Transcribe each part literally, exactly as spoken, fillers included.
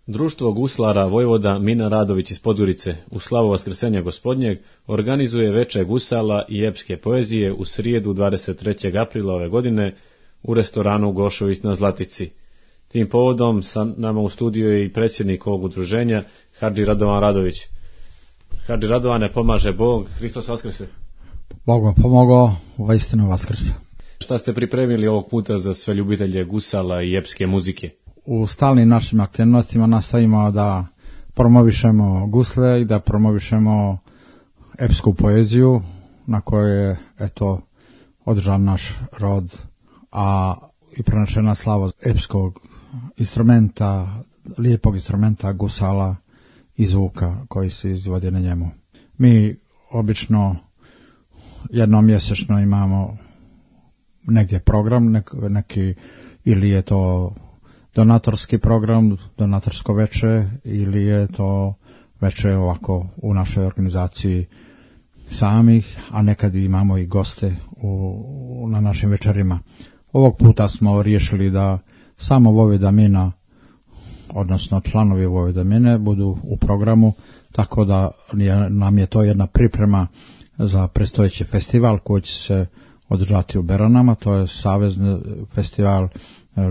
Društvo guslara Vojvoda Mina Radović iz Podgorice u slavu Vaskrsenja Gospodnjeg organizuje veče gusala i epske poezije u srijedu dvadeset trećeg aprila ove godine u restoranu Gošović na Zlatici. Tim povodom sa nama u studiju je i predsjednik ovog udruženja, Hadži Radovan Radović. Hadži Radovane, pomaže Bog, Hristos Vaskrse. Bog vam pomogao, uistinu Vaskrse. Šta ste pripremili ovog puta za sve ljubitelje gusala i epske muzike? U stalnim našim aktivnostima nastavimo da promovišemo gusle i da promovišemo epsku poeziju na kojoj je eto održan naš rod, a i prenašena slava epskog instrumenta, lijepog instrumenta gusala i zvuka koji se izvodi na njemu. Mi obično jednom mjesečno imamo negdje program, nek, neki ili je to donatorski program, donatorsko veče, ili je to veče ovako u našoj organizaciji samih, a nekad imamo i goste u, na našim večerima. Ovog puta smo riješili da samo Vojvoda Mina, odnosno članovi Vojvoda Mine, budu u programu, tako da je, nam je to jedna priprema za predstojeći festival koji će se održati u Beranama. To je savezni festival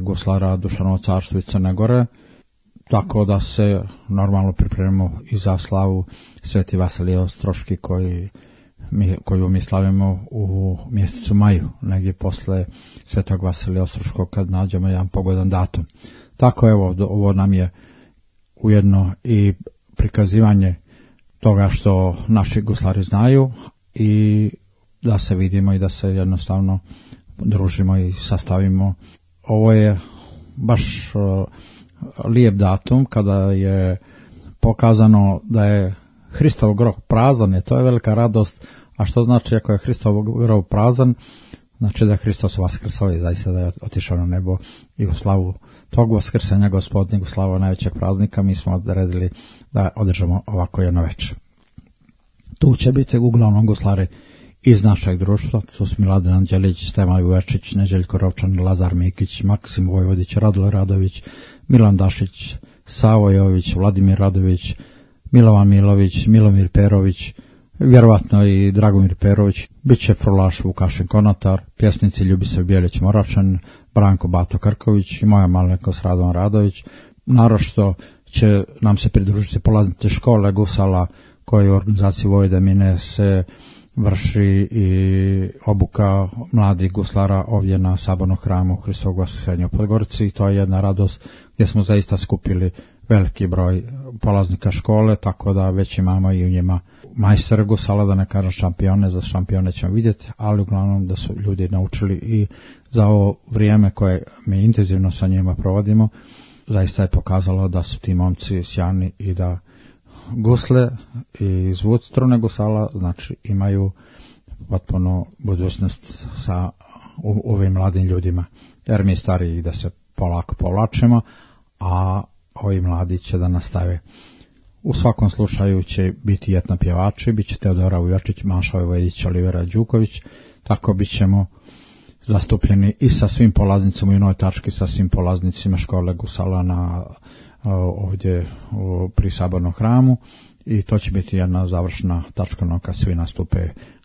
guslara Dušanovo carstvo i Crne Gore, tako da se normalno pripremimo i za slavu Sveti Vasilije Ostroški koji mi, koju mi slavimo u mjesecu maju, negdje posle Svetog Vasilija Ostroškog, kad nađemo jedan pogodan datum. Tako evo, ovo nam je ujedno i prikazivanje toga što naši guslari znaju i da se vidimo i da se jednostavno družimo i sastavimo. Ovo je baš uh, lijep datum kada je pokazano da je Hristov grob prazan, je to je velika radost. A što znači ako je Hristov grob prazan? Znači da je Hristos vaskrsao i zaista da je otišao na nebo i u slavu tog vaskrsenja Gospodnjeg, u slavu najvećeg praznika, mi smo odredili da održamo ovako jedno večer. Tu će biti uglavnom guslari iz našeg društva, to su Miladin Anđelić, Stevan Uvečić, Neđeljko Rovčan, Lazar Mikić, Maksim Vojvodić, Radule Radović, Milan Dašić, Savo Jović, Vladimir Radović, Milovan Milović, Milomir Perović, vjerovatno i Dragomir Perović, bit će frulaš Vukašin Konatar, pjesnici Ljubisav Bijelić Moračan, Branko Bato Krković i moja malenkost Radovan Radović. Naročito će nam se pridružiti polaznici škole gusala koje u organizaciji Vojvoda Mine se vrši i obuka mladih guslara ovdje na Sabornom hramu Hristovog Vaskrsenja u Podgorici. To je jedna radost gdje smo zaista skupili veliki broj polaznika škole, tako da već imamo i u njima majstere gusala, da ne kažem šampione, za šampione ćemo vidjeti, ali uglavnom da su ljudi naučili i za ovo vrijeme koje mi intenzivno sa njima provodimo, zaista je pokazalo da su ti momci sjajni i da gusle i zvuk strune gusala znači imaju potpuno budućnost sa u, ovim mladim ljudima, jer mi stariji da se polako povlačimo, a ovi mladi će da nastave. U svakom slučaju će biti etno pjevači, bit će Teodora Ujočić, Maša Vojvodić, Olivera Đuković, tako bit ćemo zastupljeni i sa svim polaznicima u jednoj tački, sa svim polaznicima škole gusala na ovdje pri Sabornom hramu, i to će biti jedna završna tačka kad svi nastupe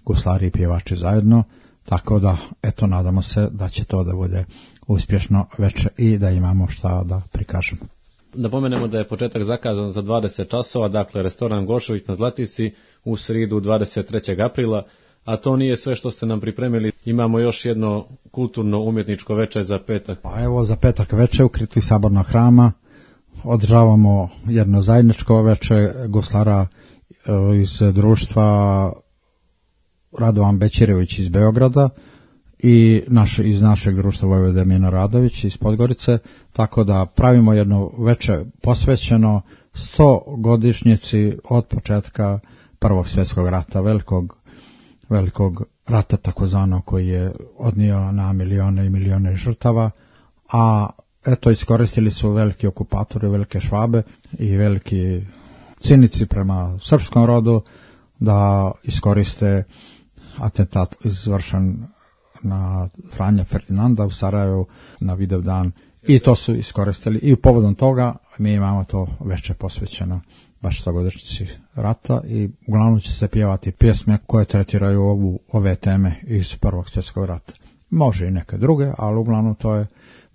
guslari i pjevači zajedno, tako da eto nadamo se da će to da bude uspješno večer i da imamo šta da prikažemo. Napomenemo da je početak zakazan za dvadeset časova, dakle restoran Gošović na Zlatici u srijedu dvadeset trećeg aprila, a to nije sve što ste nam pripremili. Imamo još jedno kulturno umjetničko veče za petak. Pa evo za petak veče u kriti Sabornog hrama održavamo jedno zajedničko veče guslara iz društva Radovan Bećirević iz Beograda i naš, iz našeg društva Vojvoda Mina Radović iz Podgorice, tako da pravimo jedno veče posvećeno sto godišnjici od početka Prvog svjetskog rata, velikog, velikog rata takozvano koji je odnio na milione i milione žrtava, a eto iskoristili su veliki okupatori, velike Švabe i veliki cinici prema srpskom rodu da iskoriste atentat izvršen na Franja Ferdinanda u Sarajevu na Vidovdan, i to su iskoristili i povodom toga mi imamo to veče posvećeno baš stogodišnjici rata i uglavnom će se pjevati pjesme koje tretiraju ovu, ove teme iz Prvog svjetskog rata. Može i neke druge, ali uglavnom to je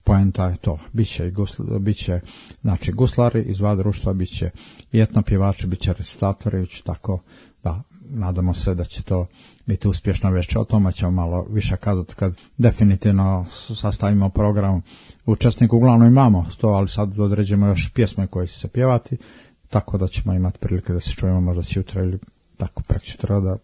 poenta je to. Biće, i gusl, biće znači, guslari iz dva društva, biće i etnopjevači, biće recitatori, tako da nadamo se da će to biti uspješno veće. O tome ćemo malo više kazati kad definitivno sastavimo program. Učesnika uglavnom imamo to, ali sad određujemo još pjesme koje će se pjevati, tako da ćemo imati prilike da se čujemo možda sutra ili tako preksutra da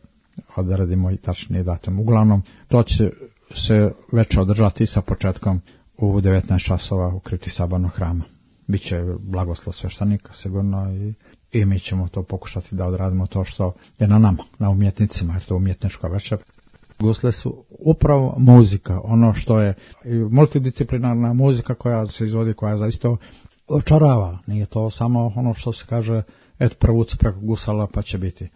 odradimo i tačnije datum. Uglavnom, to će se već održati sa početkom u devetnaest časova u kripti Sabornog hrama. Biće blagoslov sveštenika sigurno i, i mi ćemo to pokušati da odradimo to što je na nama, na umjetnicima, jer to je umjetnička večer. Gusle su upravo muzika, ono što je multidisciplinarna muzika koja se izvodi, koja zaista očarava. Nije to samo ono što se kaže, et prvuci preko gusala pa će biti.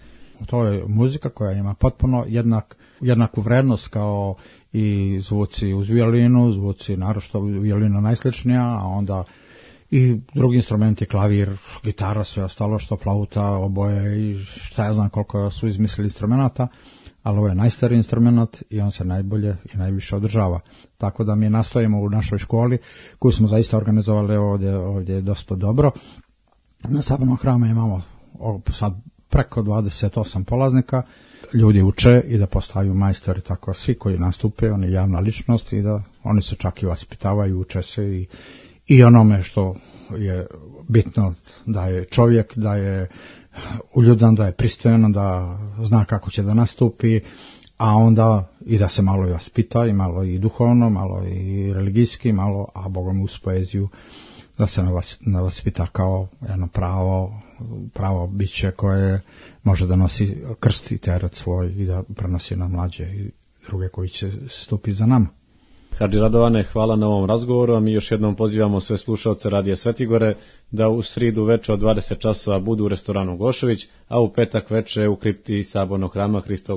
To je muzika koja ima potpuno jednak, jednaku vrednost kao i zvuci uz violinu, zvuci naročito violina najsličnija, a onda i drugi instrumenti, klavir, gitara, sve ostalo što flauta, oboje i šta ja znam koliko su izmislili instrumenta, ali ovo je najstariji instrument i on se najbolje i najviše održava. Tako da mi nastojimo u našoj školi, koju smo zaista organizovali ovdje, ovdje je dosta dobro. Na Sabornom hramu imamo sad preko dvadeset osam polaznika, ljudi uče i da postaju majstori, tako svi koji nastupe, oni je javna ličnost i da oni se čak i vaspitavaju, uče se i, i onome što je bitno, da je čovjek, da je uljudan, da je pristojan, da zna kako će da nastupi, a onda i da se malo i vaspita, i malo i duhovno, malo i religijski, malo, a Bogom uz poeziju, da se vaspita kao jedno pravo, pravo biće koje može da nosi krst i teret svoj i da prenosi na mlađe i druge koji će stupiti za nama. Hadži Radovane, hvala na ovom razgovoru, a mi još jednom pozivamo sve slušaoce Radija Svetigore da u sridu veče od dvadeset časova budu u restoranu Gošević, a u petak veče u kripti Sabornog hrama Hristovog